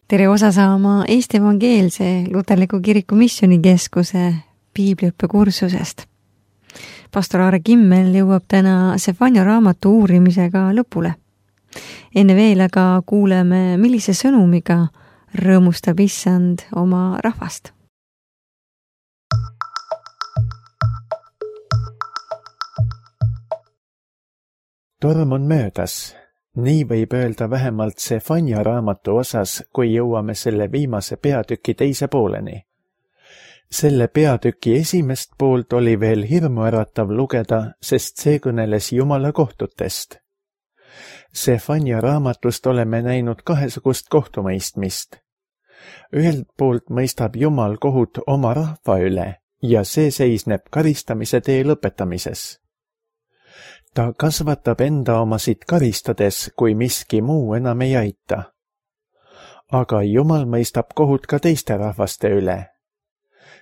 Tere osa saama Eesti Evangeelse Luterliku Kiriku Missioonikeskuse piibliõppekursusest. Pastor Aare Kimmel jõuab täna Sefania raamatu uurimisega lõpule. Enne veel aga kuuleme, millise sõnumiga rõõmustab Issand oma rahvast. Torm on möödas. Nii võib öelda vähemalt Sefania raamatu osas, kui jõuame selle viimase peatüki teise pooleni. Selle peatüki esimest poolt oli veel hirmuäratav lugeda, sest see kõneles Jumala kohtutest. Sefania raamatust oleme näinud kahesugust kohtumõistmist. Ühelt poolt mõistab Jumal kohut oma rahva üle ja see seisneb karistamise tee lõpetamises. Ta kasvatab enda omasid karistades, kui miski muu enam ei aita. Aga Jumal mõistab kohut ka teiste rahvaste üle.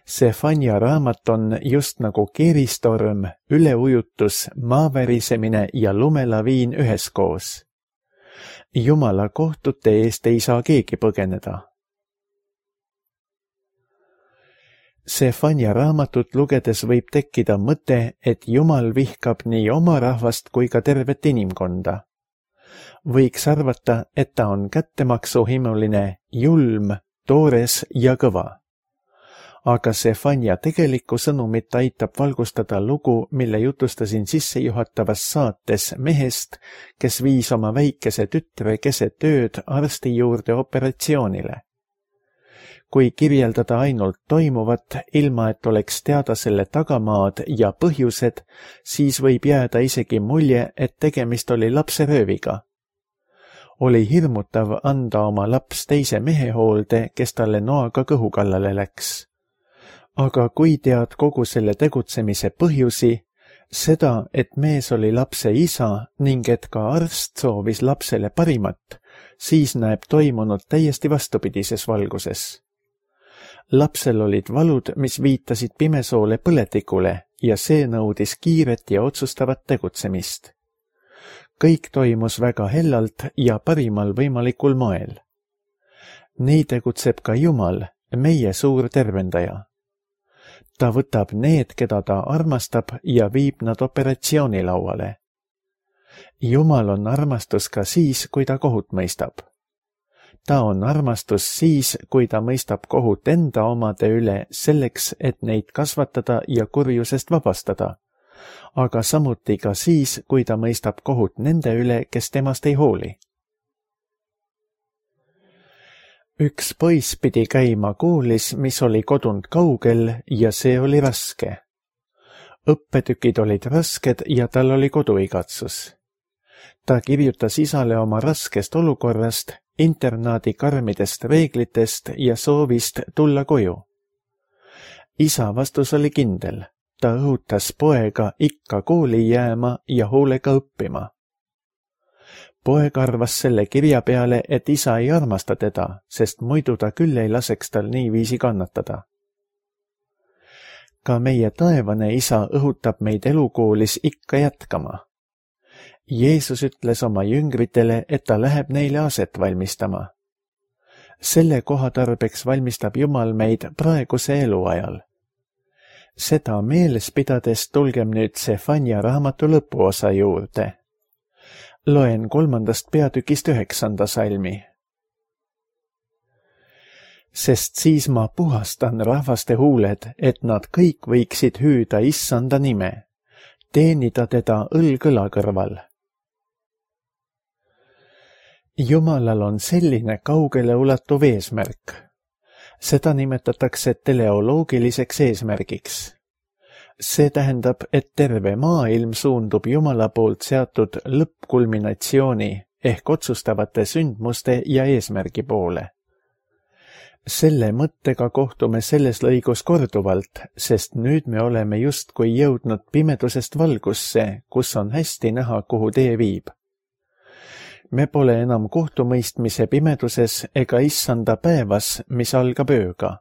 Sefania raamat on just nagu keeristorm, üleujutus, maavärisemine ja lumelaviin üheskoos. Jumala kohtute eest ei saa keegi põgeneda. Sefania raamatut lugedes võib tekkida mõte, et Jumal vihkab nii oma rahvast kui ka tervet inimkonda. Võiks arvata, et ta on kättemaksuhimuline, julm, toores ja kõva. Aga Sefania tegelikku sõnumit aitab valgustada lugu, mille jutustasin sissejuhatavas saates mehest, kes viis oma väikese tütre keset ööd arsti juurde operatsioonile. Kui kirjeldada ainult toimuvat, ilma et oleks teada selle tagamaad ja põhjused, siis võib jääda isegi mulje, et tegemist oli lapserööviga. Oli hirmutav anda oma laps teise mehe hoolde, kes talle noaga kõhu kallale läks. Aga kui tead kogu selle tegutsemise põhjusi, seda, et mees oli lapse isa ning et ka arst soovis lapsele parimat, siis näeb toimunud täiesti vastupidises valguses. Lapsel olid valud, mis viitasid pimesoole põletikule ja see nõudis kiiret ja otsustavat tegutsemist. Kõik toimus väga hellalt ja parimal võimalikul moel. Nii tegutseb ka Jumal, meie suur tervendaja. Ta võtab need, keda ta armastab ja viib nad operatsioonilauale. Jumal on armastus ka siis, kui ta kohut mõistab. Ta on armastus siis, kui ta mõistab kohut enda omade üle selleks, et neid kasvatada ja kurjusest vabastada, aga samuti ka siis, kui ta mõistab kohut nende üle, kes temast ei hooli. Üks poiss pidi käima koolis, mis oli kodunt kaugel ja see oli raske. Õppetükid olid rasked ja tal oli koduigatsus. Ta kirjutas isale oma raskest olukorrast, internaadi karmidest reeglitest ja soovist tulla koju. Isa vastus oli kindel. Ta õhutas poega ikka kooli jääma ja hoolega õppima. Poeg arvas selle kirja peale, et isa ei armasta teda, sest muidu ta küll ei laseks tal niiviisi kannatada. Ka meie taevane isa õhutab meid elukoolis ikka jätkama. Jeesus ütles oma jüngritele, et ta läheb neile aset valmistama. Selle kohatarbeks valmistab Jumal meid praeguse eluajal. Seda meeles pidades tulgem nüüd Sefania raamatu lõpuosa juurde. Loen 3. peatükist 9. salmi. Sest siis ma puhastan rahvaste huuled, et nad kõik võiksid hüüda Issanda nime, teenida teda õlg õla kõrval. Jumalal on selline kaugele ulatuv eesmärk. Seda nimetatakse teleoloogiliseks eesmärgiks. See tähendab, et terve maailm suundub Jumala poolt seatud lõppkulminatsiooni ehk otsustavate sündmuste ja eesmärgi poole. Selle mõttega kohtume selles lõigus korduvalt, sest nüüd me oleme justkui jõudnud pimedusest valgusse, kus on hästi näha, kuhu tee viib. Me pole enam kohtumõistmise pimeduses ega issanda päevas, mis algab ööga.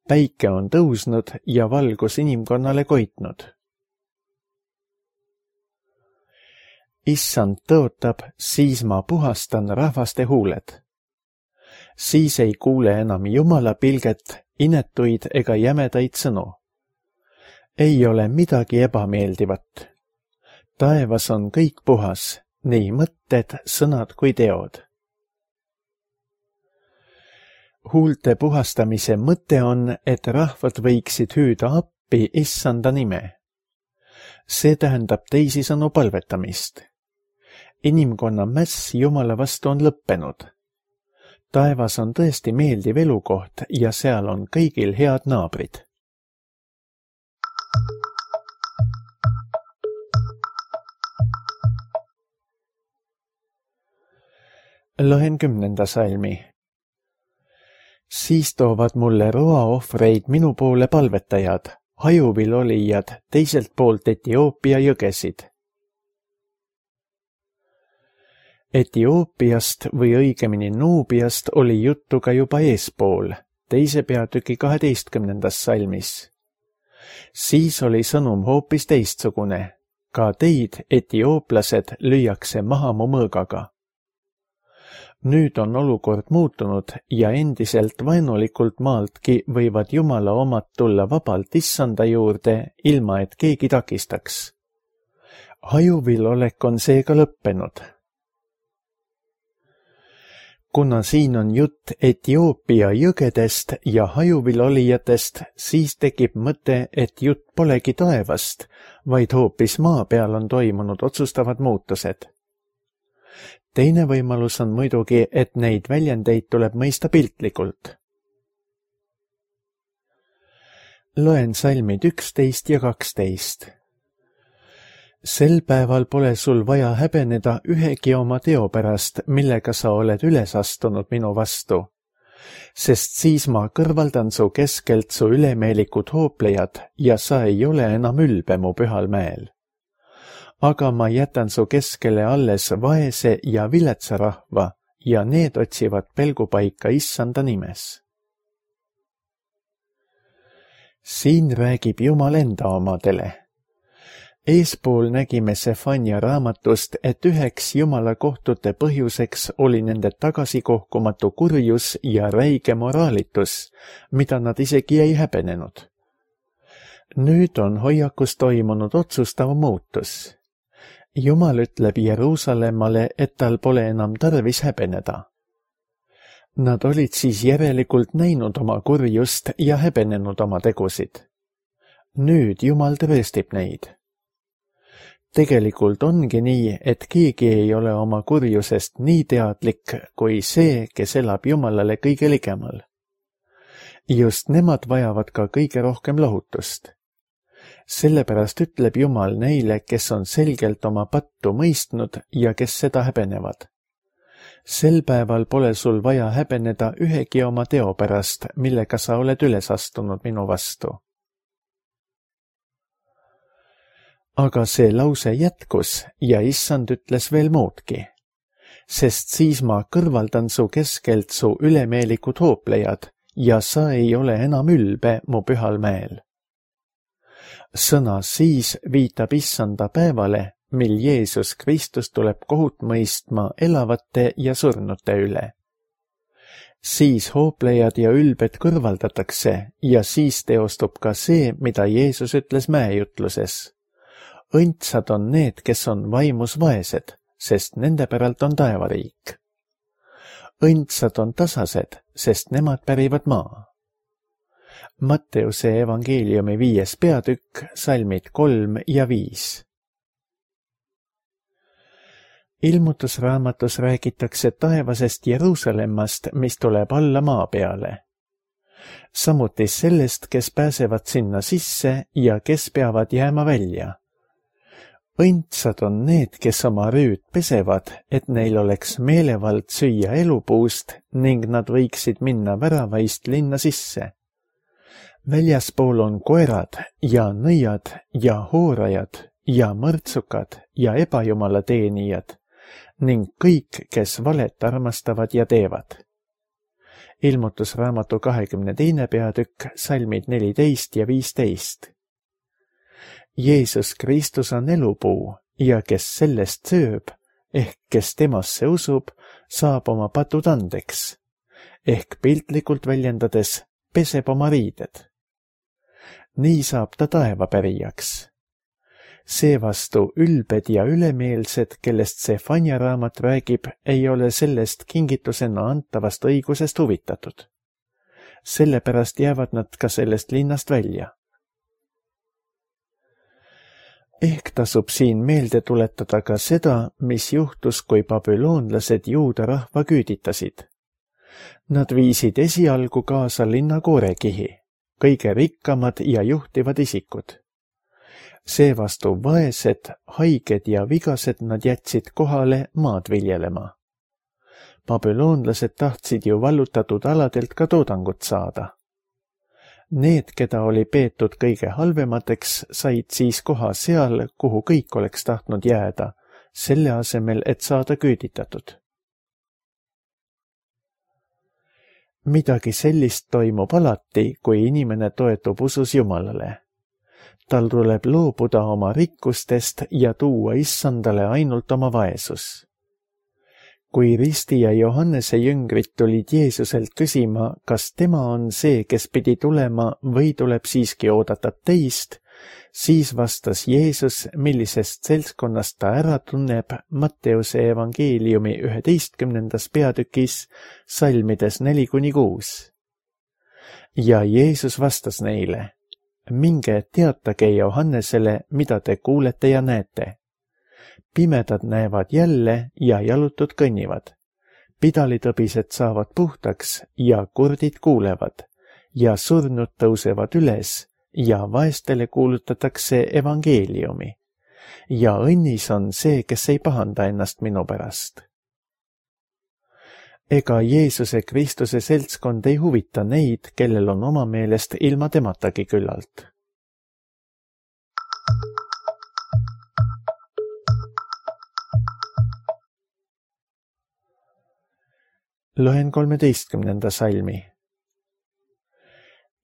Päike on tõusnud ja valgus inimkonnale koitnud. Issand tõotab, siis ma puhastan rahvaste huuled. siis ei kuule enam Jumala pilget, inetuid ega jämedaid sõnu. Ei ole midagi ebameeldivat. Taevas on kõik puhas, nii mõtted, sõnad kui teod. Huulte puhastamise mõte on, et rahvad võiksid hüüda appi Issanda nime. See tähendab teisisõnu palvetamist. Inimkonna mäss Jumala vastu on lõppenud. Taevas on tõesti meeldiv elukoht ja seal on kõigil head naabrid. Loen 10. salmi. Siis toovad mulle roaohvreid minu poole palvetajad, hajuvil olijad teiselt poolt Etioopia jõgesid. Etioopiast või õigemini Nuubiast oli juttu ka juba eespool, 2. peatüki 12. salmis. Siis oli sõnum hoopis teistsugune. Ka teid, etiooplased, lüüakse maha mu mõõgaga. Nüüd on olukord muutunud ja endiselt vaenulikult maaltki võivad Jumala omad tulla vabalt Issanda juurde, ilma et keegi takistaks. Hajuvil olek on seega lõppenud. Kuna siin on jutt Etioopia jõgedest ja hajuvil olijatest, siis tekib mõte, et jutt polegi taevast, vaid hoopis maa peal on toimunud otsustavad muutused. Teine võimalus on muidugi, et neid väljendeid tuleb mõista piltlikult. Loen salmid 11 ja 12. Sel päeval pole sul vaja häbeneda ühegi oma teo pärast, millega sa oled üles astunud minu vastu, sest siis ma kõrvaldan su keskelt su ülemeelikud hooplejad ja sa ei ole enam ülbe mu pühal mäel. Aga ma jätan su keskele alles vaese ja viletsa rahva ja need otsivad pelgupaika Issanda nimes. Siin räägib Jumal enda omadele. Eespool nägime Sefania raamatust, et üheks Jumala kohtute põhjuseks oli nende tagasikohkumatu kurjus ja räige moraalitus, mida nad isegi ei häbenenud. Nüüd on hoiakus toimunud otsustav muutus. Jumal ütleb Jeruusalemmale, et tal pole enam tarvis häbeneda. Nad olid siis järelikult näinud oma kurjust ja häbenenud oma tegusid. Nüüd Jumal tõestib neid. Tegelikult ongi nii, et keegi ei ole oma kurjusest nii teadlik kui see, kes elab Jumalale kõige ligemal. Just nemad vajavad ka kõige rohkem lohutust. Sellepärast ütleb Jumal neile, kes on selgelt oma pattu mõistnud ja kes seda häbenevad. Sel päeval pole sul vaja häbeneda ühegi oma teo pärast, millega sa oled üles astunud minu vastu. Aga see lause jätkus ja Issand ütles veel muudki, sest siis ma kõrvaldan su keskelt su ülemeelikud hooplejad ja sa ei ole enam ülbe mu pühal mäel. Sõna siis viitab Issanda päevale, mil Jeesus Kristus tuleb kohut mõistma elavate ja surnute üle. Siis hooplejad ja ülbed kõrvaldatakse ja siis teostub ka see, mida Jeesus ütles mäejutluses. Õndsad on need, kes on vaimus vaesed, sest nende päralt on taevariik. Õndsad on tasased, sest nemad pärivad maa. Matteuse evangeeliumi 5. peatükk, salmid 3 ja 5. Ilmutusraamatus räägitakse taevasest Jeruusalemmast, mis tuleb alla maa peale. Samuti sellest, kes pääsevad sinna sisse ja kes peavad jääma välja. Õndsad on need, kes oma rüüd pesevad, et neil oleks meelevald süüa elupuust ning nad võiksid minna väravaist linna sisse. Väljaspool on koerad ja nõiad ja hoorajad ja mõrtsukad ja ebajumala teenijad ning kõik, kes valet armastavad ja teevad. Ilmutusraamatu 22. peatükk, salmid 14 ja 15. Jeesus Kristus on elupuu ja kes sellest sööb, ehk kes temasse usub, saab oma patud andeks. ehk piltlikult väljendades peseb oma riided. Nii saab ta taevapärijaks. Seevastu ülbed ja ülemeelsed, kellest Sefanja raamat räägib, ei ole sellest kingitusena antavast õigusest huvitatud. Sellepärast jäävad nad ka sellest linnast välja. Ehk tasub siin meelde tuletada ka seda, mis juhtus, kui babüloonlased juuda rahva küüditasid. Nad viisid esialgu kaasa linna koorekihi, kõige rikkamad ja juhtivad isikud. Seevastu vaesed, haiged ja vigased nad jätsid kohale maad viljelema. Babüloonlased tahtsid ju vallutatud aladelt ka toodangut saada. Need, keda oli peetud kõige halvemateks, said siis koha seal, kuhu kõik oleks tahtnud jääda, selle asemel, et saada küüditatud. Midagi sellist toimub alati, kui inimene toetub usus Jumalale. Tal tuleb loobuda oma rikkustest ja tuua issandale ainult oma vaesus. Kui Risti ja Johannese jüngrid tulid Jeesuselt küsima, kas tema on see, kes pidi tulema või tuleb siiski oodata teist, siis vastas Jeesus, millisest seltskonnast ta ära tunneb Matteuse evangeeliumi 11. peatükis salmides 4-6. Ja Jeesus vastas neile: minge teatage Johannesele, mida te kuulete ja näete. Pimedad näevad jälle ja jalutud kõnnivad. Pidalitõbised saavad puhtaks ja kurdid kuulevad ja surnud tõusevad üles ja vaestele kuulutatakse evangeeliumi. Ja õnnis on see, kes ei pahanda ennast minu pärast. Ega Jeesuse Kristuse seltskond ei huvita neid, kellel on oma meelest ilma tematagi küllalt. Loen 13. salmi.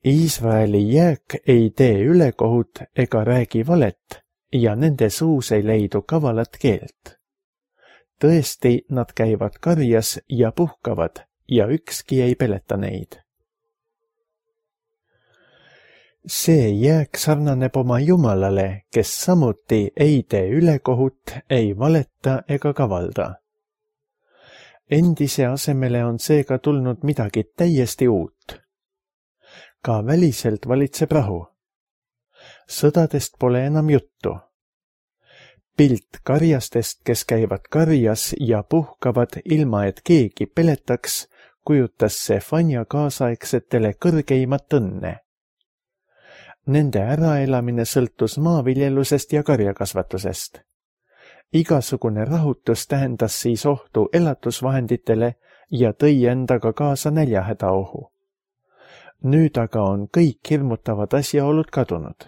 Iisraeli jääk ei tee ülekohut ega räägi valet ja nende suus ei leidu kavalat keelt. Tõesti, nad käivad karjas ja puhkavad ja ükski ei peleta neid. See jääk sarnaneb oma Jumalale, kes samuti ei tee ülekohut, ei valeta ega kavalda. Endise asemele on seega tulnud midagi täiesti uut. Ka väliselt valitseb rahu. Sõdadest pole enam juttu. Pilt karjastest, kes käivad karjas ja puhkavad ilma, et keegi peletaks, kujutas Sefanja kaasaegsetele kõrgeimat õnne. Nende äraelamine sõltus maaviljelusest ja karjakasvatusest. Igasugune rahutus tähendas siis ohtu elatusvahenditele ja tõi endaga kaasa näljahädaohu. Nüüd aga on kõik hirmutavad asjaolud kadunud.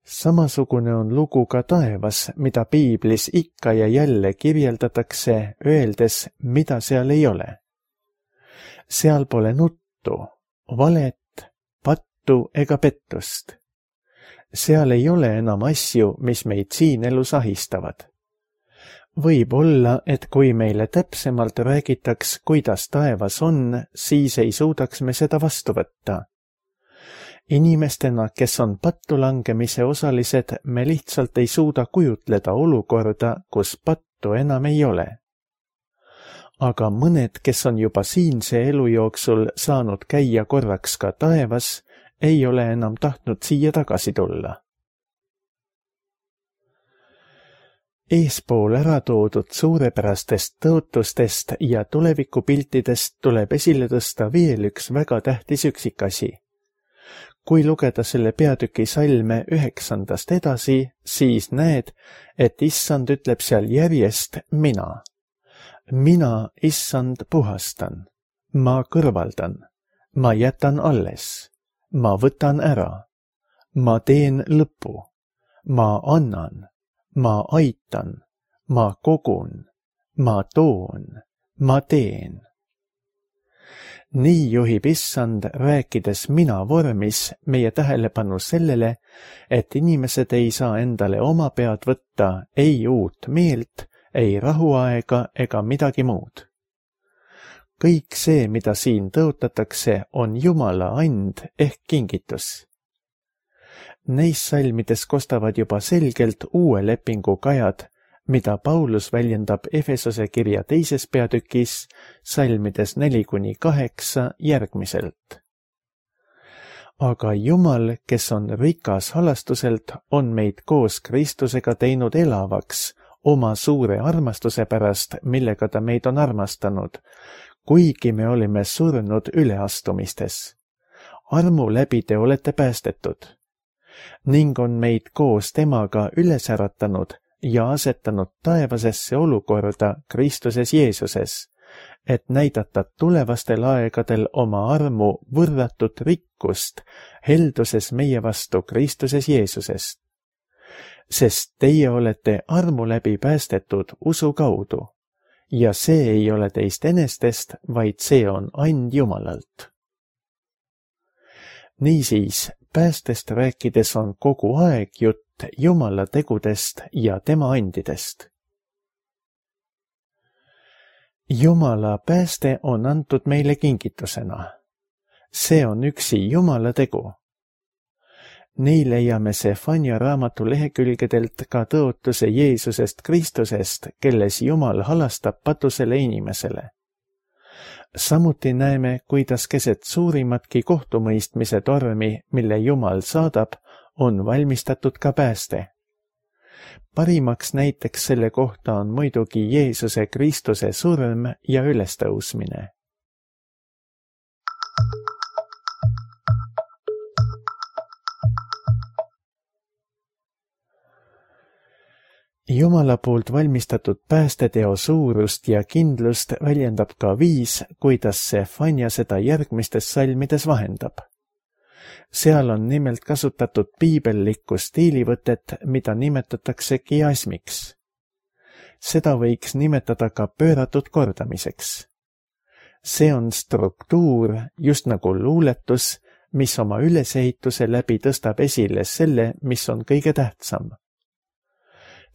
Samasugune on lugu ka taevas, mida piiblis ikka ja jälle kirjeldatakse, öeldes, mida seal ei ole. Seal pole nuttu, valet, pattu ega pettust. Seal ei ole enam asju, mis meid siin elus ahistavad. Võib olla, et kui meile täpsemalt räägitaks, kuidas taevas on, siis ei suudaks me seda vastu võtta. Inimestena, kes on pattu langemise osalised, me lihtsalt ei suuda kujutleda olukorda, kus pattu enam ei ole. Aga mõned, kes on juba siinse elu jooksul saanud käia korraks ka taevas, ei ole enam tahtnud siia tagasi tulla. Eespool ära toodud suurepärastest tõotustest ja tulevikupiltidest tuleb esile tõsta veel üks väga tähtis üksikasi. Kui lugeda selle peatüki salme 9. edasi, siis näed, et issand ütleb seal järjest mina. Mina, issand, puhastan. Ma kõrvaldan. Ma jätan alles. Ma võtan ära. Ma teen lõpu. Ma annan. Ma aitan. Ma kogun. Ma toon. Ma teen. Nii juhib issand, rääkides mina vormis, meie tähelepanu sellele, et inimesed ei saa endale oma pead võtta ei uut meelt ei rahuaega ega midagi muud. Kõik see, mida siin tõotatakse, on Jumala and ehk kingitus. Neis salmides kostavad juba selgelt uue lepingu kajad, mida Paulus väljendab Efesose kirja 2. peatükis salmides 4-8 järgmiselt. Aga Jumal, kes on rikas halastuselt, on meid koos Kristusega teinud elavaks oma suure armastuse pärast, millega ta meid on armastanud, kuigi me olime surnud üleastumistes. Armu läbi te olete päästetud ning on meid koos temaga üles äratanud ja asetanud taevasesse olukorda Kristuses Jeesuses, et näidata tulevastel aegadel oma armu võrratut rikkust helduses meie vastu Kristuses Jeesusest. Sest teie olete armu läbi päästetud usu kaudu ja see ei ole teist enestest, vaid see on and Jumalalt. Niisiis, päästest rääkides on kogu aeg jutt Jumala tegudest ja tema andidest. Jumala pääste on antud meile kingitusena. See on üksi Jumala tegu. Nii leiame Sefania raamatu lehekülgedelt ka tõotuse Jeesusest Kristusest, kelles Jumal halastab patusele inimesele. Samuti näeme, kuidas keset suurimatki kohtumõistmise tormi, mille Jumal saadab, on valmistatud ka pääste. Parimaks näiteks selle kohta on muidugi Jeesuse Kristuse surm ja ülestõusmine. Jumala poolt valmistatud päästeteo suurust ja kindlust väljendab ka viis, kuidas Sefania seda järgmistes salmides vahendab. Seal on nimelt kasutatud piibellikku stiilivõtet, mida nimetatakse kiasmiks. Seda võiks nimetada ka pööratud kordamiseks. See on struktuur, just nagu luuletus, mis oma ülesehituse läbi tõstab esile selle, mis on kõige tähtsam.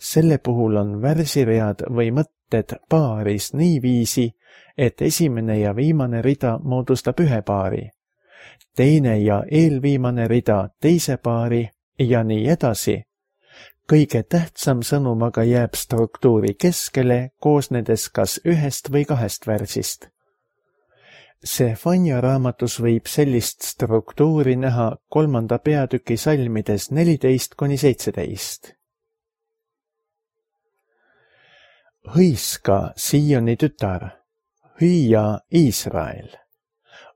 Selle puhul on värsiread või mõtted paaris niiviisi, et esimene ja viimane rida moodustab ühe paari, teine ja eelviimane rida teise paari ja nii edasi. Kõige tähtsam sõnum aga jääb struktuuri keskele, koosnedes kas ühest või kahest värsist. Sefania raamatus võib sellist struktuuri näha 3. peatüki salmides 14-17. Hõiska, Sioni tütar, hüüa Iisrael,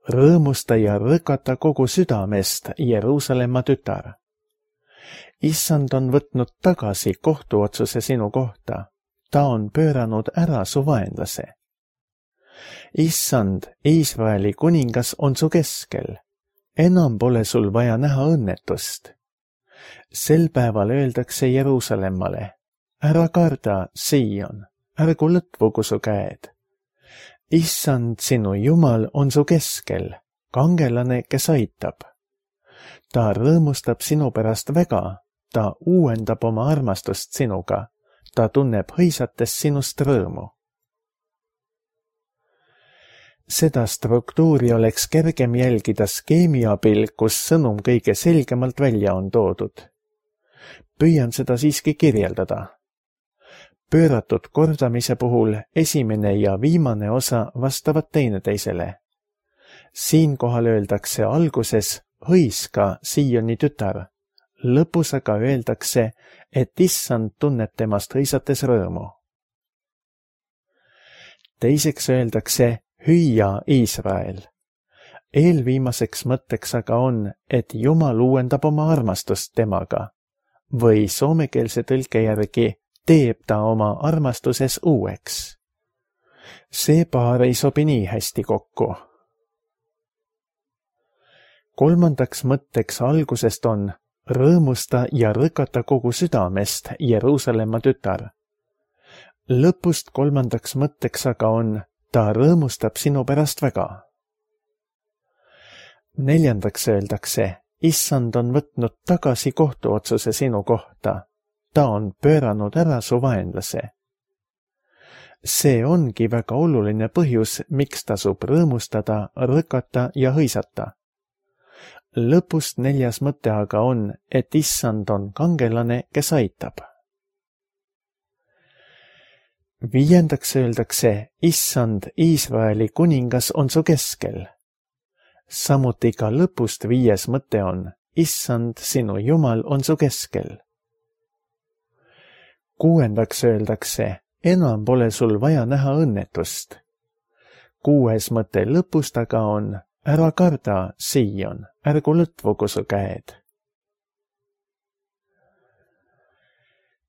rõõmusta ja rõkata kogu südamest, Jeruusalemma tütar. Issand on võtnud tagasi kohtuotsuse sinu kohta, ta on pööranud ära su vaenlase. Issand, Iisraeli kuningas on su keskel, enam pole sul vaja näha õnnetust. Sel päeval öeldakse Jeruusalemmale, ära karda, Sion, ärgu lõtvugu su käed. Issand, sinu Jumal on su keskel, kangelane, kes aitab. Ta rõõmustab sinu pärast väga, ta uuendab oma armastust sinuga, ta tunneb hõisates sinust rõõmu. Seda struktuuri oleks kergem jälgida skeemi abil, kus sõnum kõige selgemalt välja on toodud. Püüan seda siiski kirjeldada. Pööratud kordamise puhul esimene ja viimane osa vastavad teineteisele. Siinkohal öeldakse alguses hõiska, Sioni tütar, lõpus aga öeldakse, et Issand tunneb temast hõisates rõõmu. Teiseks öeldakse hüüa Iisrael. Eelviimaseks mõtteks aga on, et Jumal uuendab oma armastust temaga või soomekeelse tõlke järgi teeb ta oma armastuses uueks. See paar ei sobi nii hästi kokku. Kolmandaks mõtteks algusest on rõõmusta ja rõkata kogu südamest, Jeruusalemma tütar. Lõpust kolmandaks mõtteks aga on, ta rõõmustab sinu pärast väga. Neljandaks öeldakse, Issand on võtnud tagasi kohtuotsuse sinu kohta. Ta on pööranud ära su vaenlase. See ongi väga oluline põhjus, miks tasub rõõmustada, rõkata ja hõisata. Lõpust 4. mõte aga on, et issand on kangelane, kes aitab. 5. öeldakse, issand, Iisraeli kuningas on su keskel. Samuti ka lõpust 5. mõte on, issand, sinu Jumal on su keskel. 6. öeldakse, enam pole sul vaja näha õnnetust. 6. mõte lõpust aga on, ära karda, Siion, ärgu lõtvugu su käed.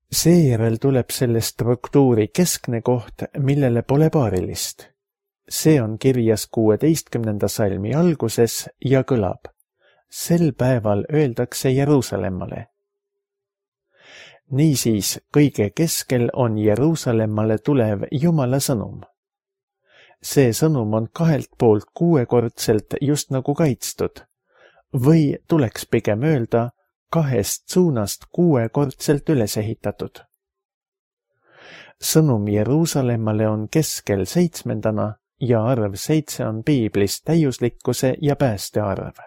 Seejärel tuleb selle struktuuri keskne koht, millele pole paarilist. See on kirjas 16. salmi alguses ja kõlab. Sel päeval öeldakse Jeruusalemmale. Niisiis, kõige keskel on Jeruusalemmale tulev Jumala sõnum. See sõnum on 2 poolt 6-kordselt just nagu kaitstud, või tuleks pigem öelda 2 suunast 6-kordselt üles ehitatud. Sõnum Jeruusalemmale on keskel 7. ja arv 7 on piiblis täiuslikkuse ja pääste arv.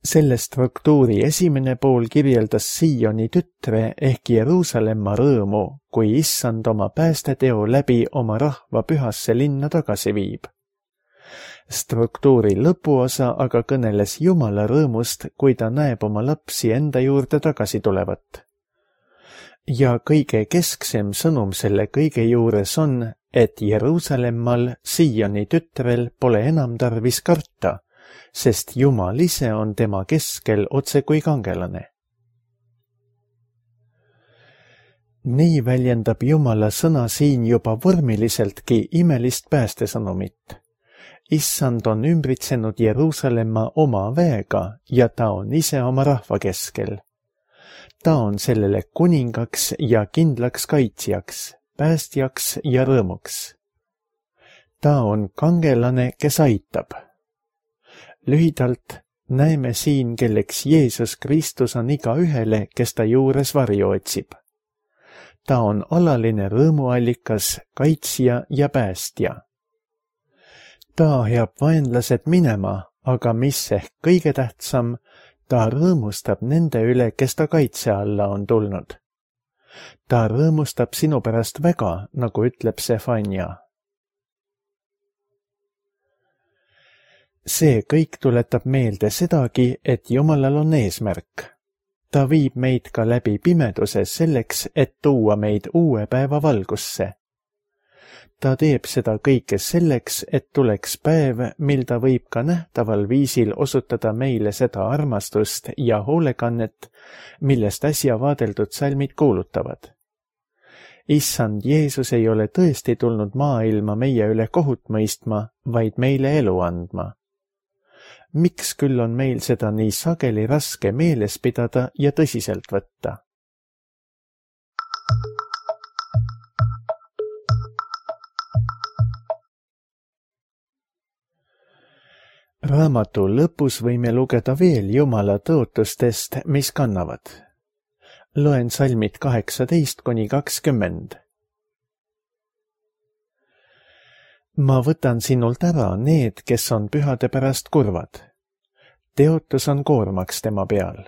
Selle struktuuri esimene pool kirjeldas Sioni tütre ehk Jeruusalemma rõõmu, kui issand oma päästeteo läbi oma rahva pühasse linna tagasi viib. Struktuuri lõpuosa aga kõneles Jumala rõõmust, kui ta näeb oma lapsi enda juurde tagasi tulevat. Ja kõige kesksem sõnum selle kõige juures on, et Jeruusalemmal, Sioni tütrel, pole enam tarvis karta, sest Jumal ise on tema keskel otse kui kangelane. Nii väljendab Jumala sõna siin juba vormiliseltki imelist päästesõnumit. Issand on ümbritsenud Jeruusalemma oma väega ja ta on ise oma rahva keskel. Ta on sellele kuningaks ja kindlaks kaitsjaks, päästjaks ja rõõmuks. Ta on kangelane, kes aitab. Lühidalt näeme siin, kelleks Jeesus Kristus on igaühele, kes ta juures varju otsib. Ta on alaline rõõmuallikas, kaitsja ja päästja. Ta ajab vaenlased minema, aga mis ehk kõige tähtsam, ta rõõmustab nende üle, kes ta kaitse alla on tulnud. Ta rõõmustab sinu pärast väga, nagu ütleb Sefania. See kõik tuletab meelde sedagi, et Jumalal on eesmärk. Ta viib meid ka läbi pimeduse selleks, et tuua meid uue päeva valgusse. Ta teeb seda kõike selleks, et tuleks päev, mil ta võib ka nähtaval viisil osutada meile seda armastust ja hoolekannet, millest äsja vaadeldud salmid kuulutavad. Issand Jeesus ei ole tõesti tulnud maailma meie üle kohut mõistma, vaid meile elu andma. Miks küll on meil seda nii sageli raske meeles pidada ja tõsiselt võtta? Raamatu lõpus võime lugeda veel Jumala tõotustest, mis kannavad. Loen salmid 18–20. Ma võtan sinult ära need, kes on pühade pärast kurvad. Teotus on koormaks tema peal.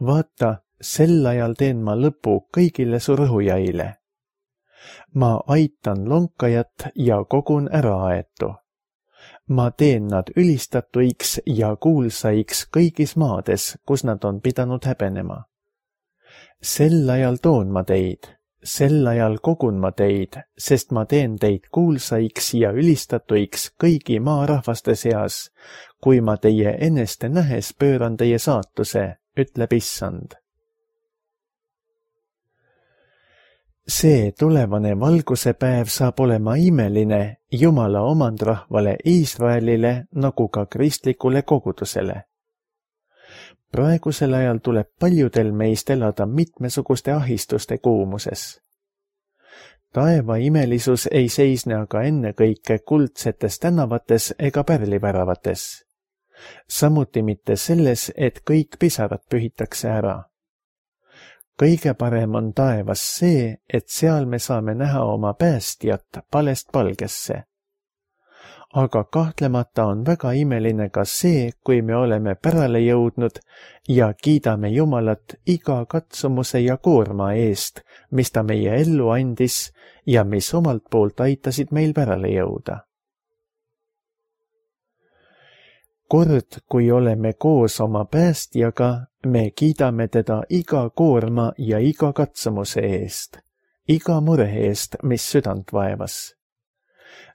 Vaata, sel ajal teen ma lõpu kõigile su rõhujaile. Ma aitan lonkajat ja kogun äraaetu. Ma teen nad ülistatuiks ja kuulsaiks kõigis maades, kus nad on pidanud häbenema. Sel ajal toon ma teid. Sel ajal kogun ma teid, sest ma teen teid kuulsaiks ja ülistatuiks kõigi maarahvaste seas, kui ma teie eneste nähes pööran teie saatuse, ütleb issand. See tulevane valguse päev saab olema imeline Jumala omandrahvale Iisraelile nagu ka kristlikule kogudusele. Praegusel ajal tuleb paljudel meist elada mitmesuguste ahistuste kuumuses. Taeva imelisus ei seisne aga ennekõike kuldsetes tänavates ega pärliväravates. Samuti mitte selles, et kõik pisarad pühitakse ära. kõige parem on taevas see, et seal me saame näha oma päästjat palest palgesse. Aga kahtlemata on väga imeline ka see, kui me oleme pärale jõudnud ja kiidame Jumalat iga katsumuse ja koorma eest, mis ta meie ellu andis ja mis omalt poolt aitasid meil pärale jõuda. Kord, kui oleme koos oma päästjaga, me kiidame teda iga koorma ja iga katsumuse eest, iga mure eest, mis südant vaevas.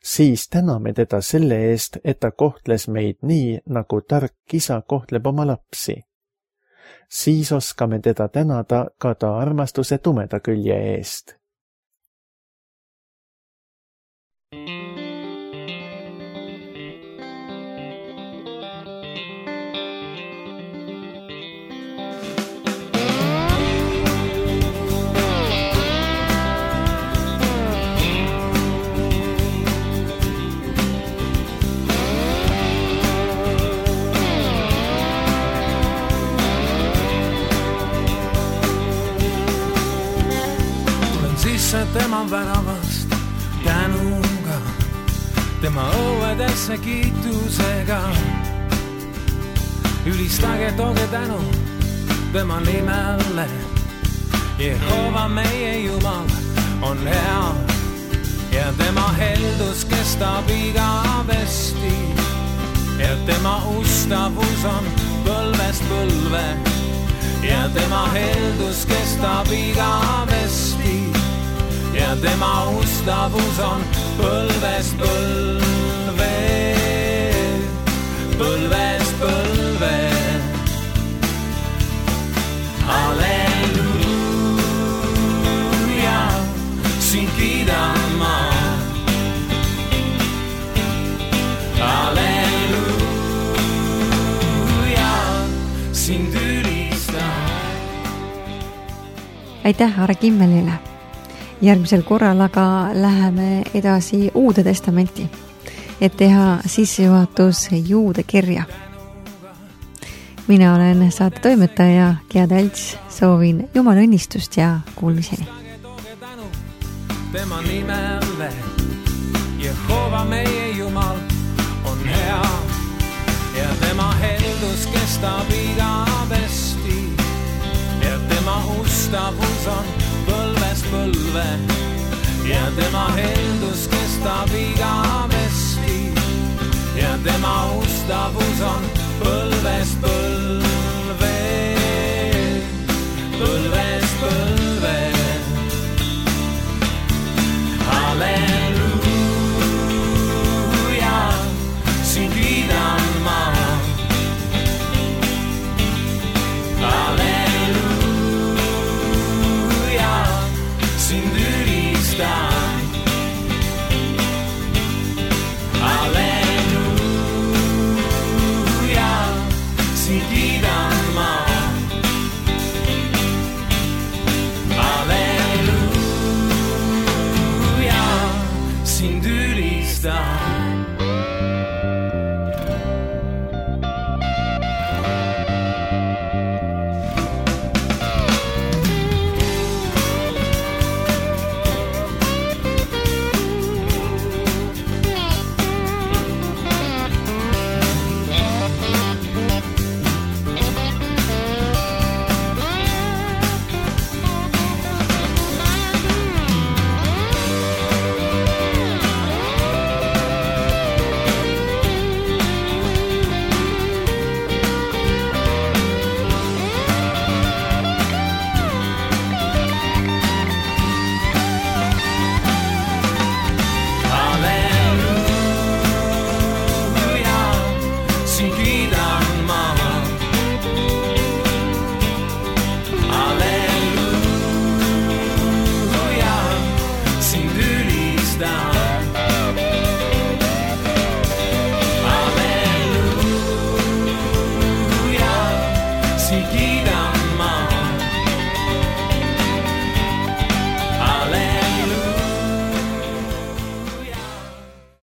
Siis täname teda selle eest, et ta kohtles meid nii, nagu tark isa kohtleb oma lapsi. Siis oskame teda tänada ka ta armastuse tumeda külje eest. Tema väravast tänuga, tema õuedesse kiitusega. Ülistage, tooge tänu tema nimele. Jehova meie Jumal on hea ja tema heldus kestab igavesti ja tema ustavus on põlvest põlve ja tema heldus kestab igavesti ja tema ustavus on põlvest põlve, põlvest põlve. Halleluuja, sind kiidan ma. Halleluuja, sind ülistan. Aitäh Are Kimmelile! Järgmisel korral aga läheme edasi Uude Testamenti, et teha sissejuhatus Juude kirja. Mina olen saate toimetaja Gea Talts, soovin Jumala õnnistust ja kuulmiseni. Tema nimele, Jehova meie Jumal on hea ja tema heldus kestab igavesti ja tema ustavus on põlvest põlve ja tema heldus kestab igavesti ja tema ustavus on põlvest põlve.